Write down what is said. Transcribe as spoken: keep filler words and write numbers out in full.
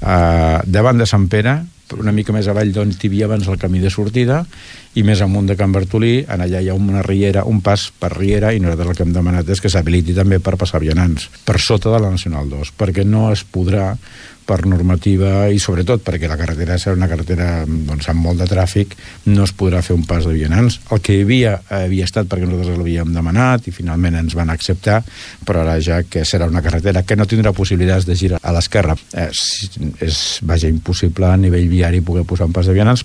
eh, davant de Sant Pere, una mica més avall d'on hi havia abans el camí de sortida, i més amunt de Can Bartolí, en allà hi ha una riera, un pas per riera, i nosaltres el que hem demanat és que s'habiliti també per passar vianants, per sota de la Nacional dos, perquè no es podrà, per normativa, i sobretot perquè la carretera serà una carretera doncs, amb molt de tràfic, no es podrà fer un pas de vianants. El que hi havia havia estat perquè nosaltres l'havíem demanat i finalment ens van acceptar, però ara ja que serà una carretera que no tindrà possibilitats de girar a l'esquerra, eh, és, vaja, impossible a nivell viari poder posar un pas de vianants.